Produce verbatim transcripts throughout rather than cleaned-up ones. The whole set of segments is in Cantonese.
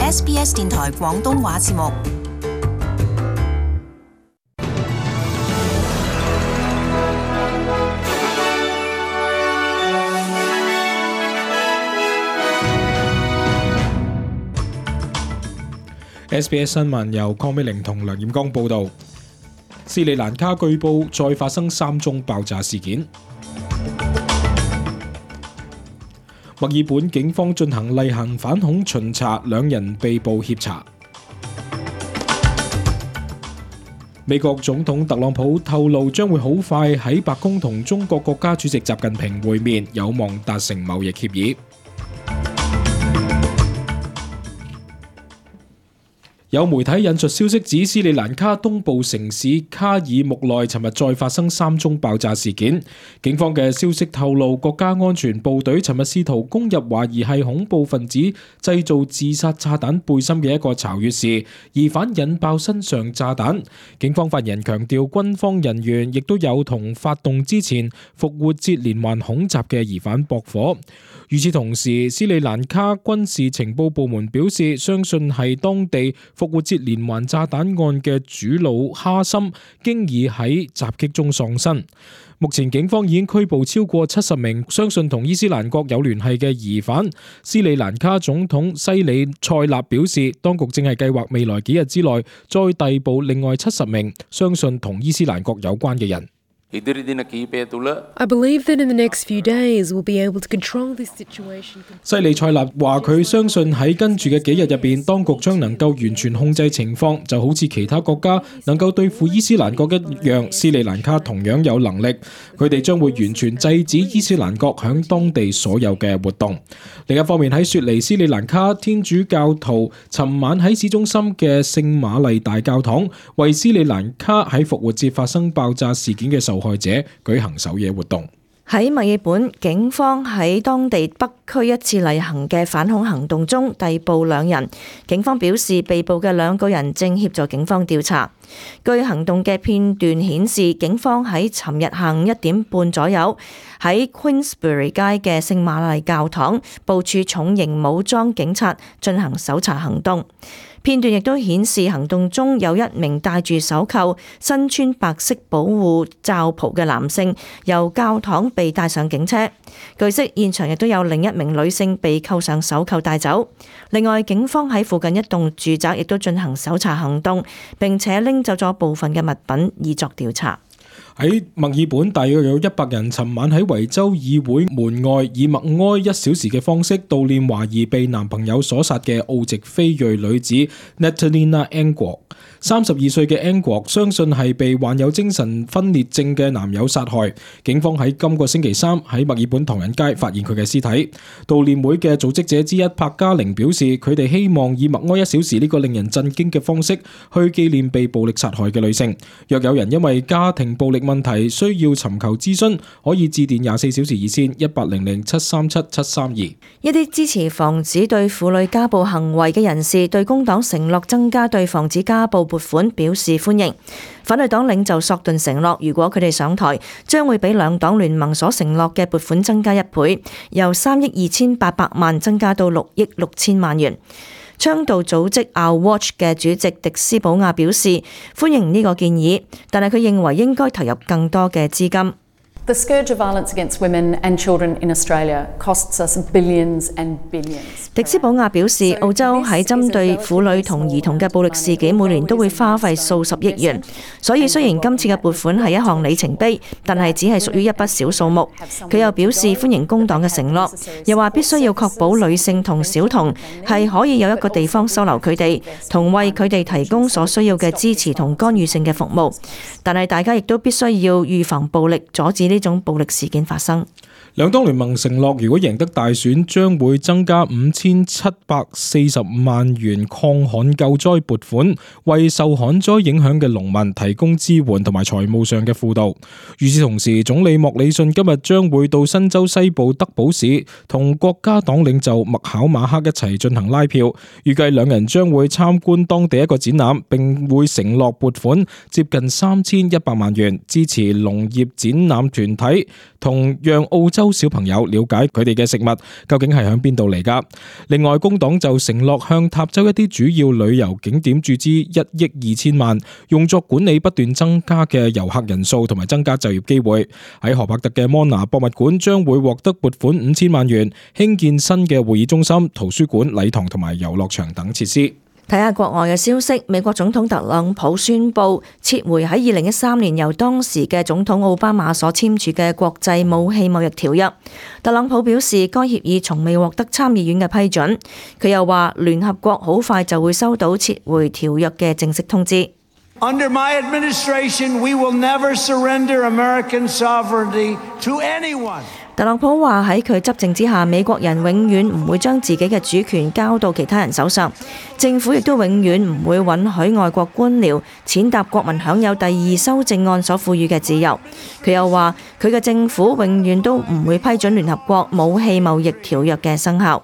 S B S 電台廣東話節目。S B S 新聞由鄺美玲同梁彥剛報道。斯里蘭卡據報再發生三宗爆炸事件。墨爾本警方進行例行反恐巡查，兩人被捕協查。美國總統特朗普透露將會好快喺白宮同中國國家主席習近平會面，有望達成貿易協議。有媒體引述消息指，斯里蘭卡東部城市卡爾木內尋日再發生三宗爆炸事件。警方嘅消息透露，國家安全部隊尋日試圖攻入懷疑係恐怖分子製造自殺炸彈背心嘅一個巢穴時，疑犯引爆身上炸彈。警方發言人強調，軍方人員亦都有同發動之前復活節連環恐襲嘅疑犯駁火。與此同時，斯里蘭卡軍事情報部門表示，相信係當地復活節連環炸彈案嘅主腦哈森經已喺襲擊中喪生。目前警方已經拘捕超過七十名相信同伊斯蘭國有聯繫嘅疑犯。斯里蘭卡總統西里塞納表示，當局正係計劃未來幾日之內再逮捕另外七十名相信同伊斯蘭國有關嘅人。I believe that in the next few days we'll be able to control this situation. 西里塞納話佢相信喺跟住嘅幾日入邊，當局將能夠完全控制情況，就好似其他國家能夠對付伊斯蘭國一樣，斯里蘭卡同樣有能力。佢哋將會完全制止伊斯蘭國響當地所有嘅活動。另一方面，喺雪梨斯里蘭卡天主教徒尋晚喺市中心嘅聖瑪麗大教堂為斯里蘭卡喺復活節發生爆炸事件嘅受害者舉行守夜活動。喺墨爾本，警方喺當地北區一次例行嘅反恐行動中逮捕兩人。警方表示，被捕嘅兩個人正協助警方調查。據行動嘅片段顯示，警方喺尋日下午一點半左右喺 Queensbury 街嘅聖瑪麗教堂部署重型武裝警察進行搜查行動。片段亦都顯示行動中有一名戴住手扣、身穿白色保護罩袍嘅男性由教堂被帶上警車。據悉，現場亦都有另一名女性被扣上手扣帶走。另外，警方喺附近一棟住宅亦都進行搜查行動，並且拎走咗部分嘅物品以作調查。喺墨爾本，大約有一百人尋晚喺維州議會門外以默哀一小時嘅方式悼念懷疑被男朋友所殺嘅澳籍非裔女子 Natalina Angua。三十二歲嘅 Angua 相信係被患有精神分裂症嘅男友殺害。警方喺今個星期三喺墨爾本唐人街發現佢嘅屍體。悼念會嘅組織者之一柏嘉玲表示，佢哋希望以默哀一小時呢個令人震驚嘅方式去紀念被暴力殺害嘅女性。若有人因為家庭暴力問題需要尋求諮詢，可以致電廿四小時熱線一八零零七三七七三二。一啲支持防止對婦女家暴行為嘅人士對工黨承諾增加對防止家暴撥款表示歡迎。反對黨領袖索頓承諾，如果佢哋上台，將會比兩黨聯盟所承諾嘅撥款增加一倍，由三億二千八百萬增加到六億六千萬元。倡導組織 Our Watch 嘅主席迪斯保亞表示歡迎呢個建議，但係佢認為應該投入更多嘅資金。The scourge of violence against women and children in Australia costs us billions and billions. 迪斯保亞表示，澳洲喺針對婦女同兒童嘅暴力事件，每年都會花費數十億元。所以雖然今次嘅撥款係一項里程碑，但係只係屬於一筆小數目。佢又表示歡迎工黨嘅承諾，又話必須要確保女性同小童係可以有一個地方收留佢哋，同為佢哋提供所需要嘅支持同干預性嘅服務。但係大家亦都必須要預防暴力，阻止呢種暴力事件發生。兩黨聯盟承諾，如果贏得大選，將會增加五千七百四十萬元抗旱救災撥款，為受旱災影響嘅農民提供支援同埋財務上嘅輔導。與此同時，總理莫里遜今日將會到新州西部德堡市，同國家黨領袖麥考馬克一齊進行拉票。預計兩人將會參觀當地一個展覽，並會承諾撥款接近三千一百萬元，支持農業展覽團體，同讓澳洲收小朋友了解佢哋嘅食物究竟係響邊度嚟㗎。另外，工黨就承諾向塔州一啲主要旅遊景點注資一億二千萬，用作管理不斷增加嘅遊客人數同埋增加就業機會。喺荷伯特嘅摩拿博物館將會獲得撥款五千萬元，興建新嘅會議中心、圖書館、禮堂同埋遊樂場等設施。睇下國外嘅消息，美國總統特朗普宣布撤回喺二零一三年由當時嘅總統奧巴馬所簽署嘅國際武器貿易條約。特朗普表示，該協議從未獲得參議院嘅批准。佢又話，聯合國好快就會收到撤回條約嘅正式通知。Under my administration, we will never surrender American sovereignty to anyone. 特朗普話喺佢執政之下，美國人永遠唔會將自己嘅主權交到其他人手上，政府亦都永遠唔會允許外國官僚踐踏國民享有第二修正案所賦予嘅自由。佢又話佢嘅政府永遠都唔會批准聯合國武器貿易條約嘅生效。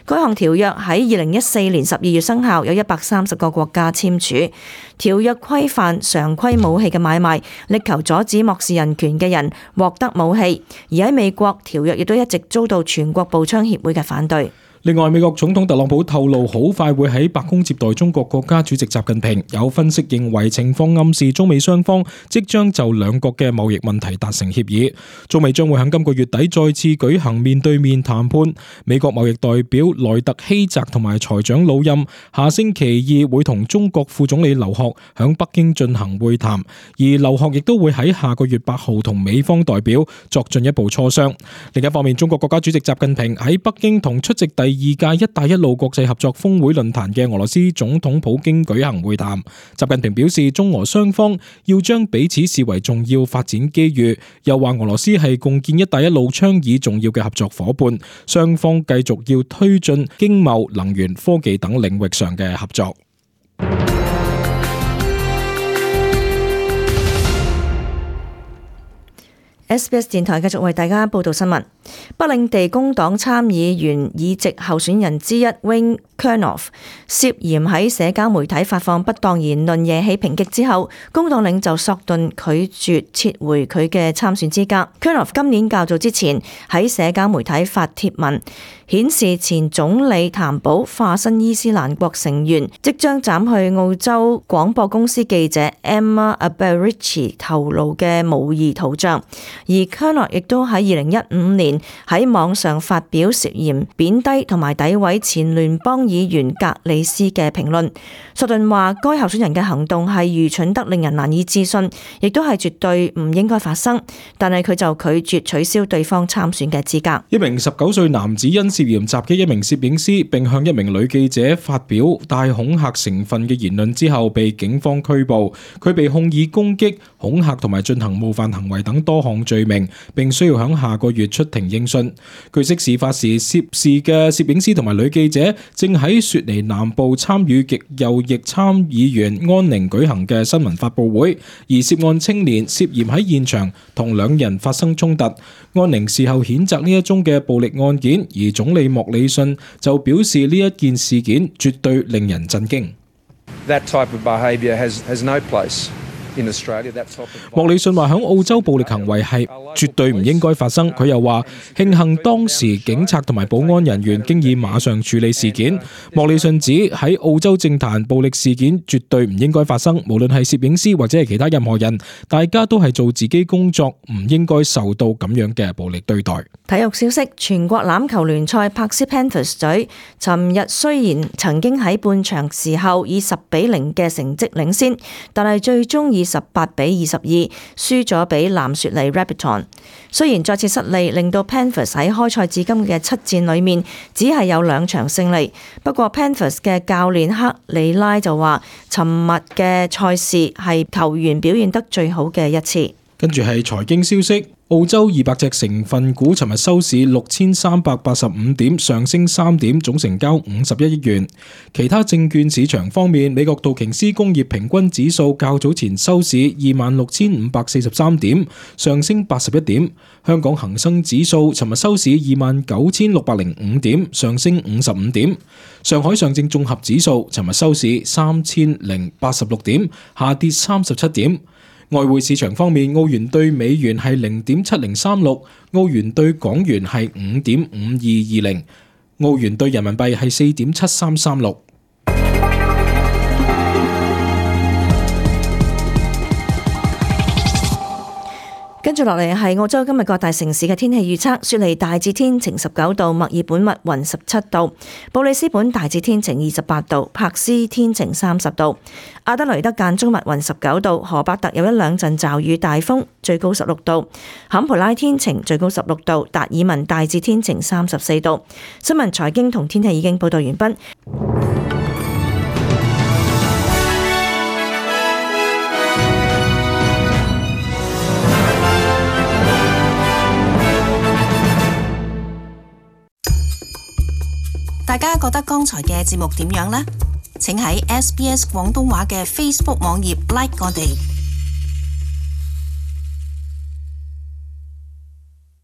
該項條約喺二零一四年十二月生效，有一百三十個國家簽署。條約規範常規武器嘅買賣，力求阻止漠視人權嘅人獲得武器。而喺美國，條約亦都一直遭到全國步槍協會嘅反對。另外，美國總統特朗普透露，好快會喺白宮接待中國國家主席習近平。有分析認為，情況暗示中美雙方即將就兩國嘅貿易問題達成協議。中美將會喺今個月底再次舉行面對面談判。美國貿易代表萊特希澤同埋財長魯欽下星期二會同中國副總理劉鶴響北京進行會談，而劉鶴亦都會喺下個月八號同美方代表作進一步磋商。另一方面，中國國家主席習近平喺北京同出席第第二屆一帶一路國際合作峰會論壇嘅俄羅斯總統普京舉行會談。習近平表示，中俄雙方要將彼此視為重要發展機遇，又話俄羅斯係共建一帶一路倡議重要嘅合作夥伴，雙方繼續要推進經貿、能源、科技等領域上嘅合作。S B S 電台繼續為大家報道新聞。北領地工黨參議員議席候選人之一 Wayne Kernoff 涉嫌喺社交媒體發放不當言論惹起抨擊之後，工黨領袖索頓拒絕撤回佢嘅參選資格。Kernoff 今年較早之前喺社交媒體發帖文，顯示前總理譚寶化身伊斯蘭國成員，即將斬去澳洲廣播公司記者 Emma Alberici 頭顱嘅模擬圖像。而 Kernoff 亦都喺二零一五年喺網上發表涉嫌貶低同埋詆毀前聯邦議員格里斯嘅評論。索頓話該候選人嘅行動係愚蠢得令人難以置信，亦都係絕對唔應該發生，但係佢就拒絕取消對方參選嘅資格。一名十九歲男子因涉嫌襲擊一名攝影師並向一名女記者發表帶恐嚇成分嘅言論之後被警方拘捕，佢被控以攻擊、恐嚇同埋進行冒犯行為等多項罪名，並需要喺下個月出庭應訊。據悉，事發時涉事嘅攝影師同埋女記者正喺雪梨南部參與極右翼參議員安寧舉行嘅新聞發佈會，而涉案青年涉嫌喺現場同兩人發生衝突。安寧事後譴責呢一宗嘅暴力案件，而總理莫里遜就表示呢一件事件絕對令人震驚。That type of behaviour has has no place. 莫里遜話響澳洲暴力行為係絕對唔應該發生。佢又話慶幸當時警察同埋保安人員經已馬上處理事件。莫里遜指喺澳洲政壇暴力事件絕對唔應該發生，無論係攝影師或者係其他任何人，大家都係做自己工作，唔應該受到咁樣嘅暴力對待。體育消息：全國欖球聯賽柏斯 Panthers 隊尋日雖然曾經喺半場時候以十比零嘅成績領先，但係最終以十八比二十二輸咗俾藍雪梨 Rabbitohs。雖然再次失利，令到 Panthers 喺開賽至今嘅七戰裏面只係有兩場勝利。不過 Panthers 嘅教練克里拉就話，尋日嘅賽事係球員表現得最好嘅一次。跟住係財經消息。澳洲二百隻成分股尋日收市六千三百八十五點，上升三點，總成交五十一億元。其他證券市場方面，美國道瓊斯工業平均指數較早前收市二萬六千五百四十三點，上升八十一點。香港恒生指數尋日收市二萬九千六百零五點，上升五十五點。上海上證綜合指數尋日收市三千零八十六點，下跌三十七點。外匯市場方面，澳元對美元係零點七零三六，澳元對港元係五點五二二零，澳元對人民幣係四點七三三六。跟住落嚟係澳洲今日各大城市嘅天氣預測。雪梨大致天晴十九度，墨爾本密雲十七度，布里斯本大致天晴二十八度，柏斯天晴三十度，阿德雷德間中密雲十九度，荷伯特有一兩陣驟雨大風，最高十六度，坎培拉天晴最高十六度，達爾文大致天晴三十四度。新聞財經同天氣已經報道完畢。大家覺得剛才嘅節目點樣呢？請喺 S B S 廣東話嘅 Facebook 網頁 like 我哋。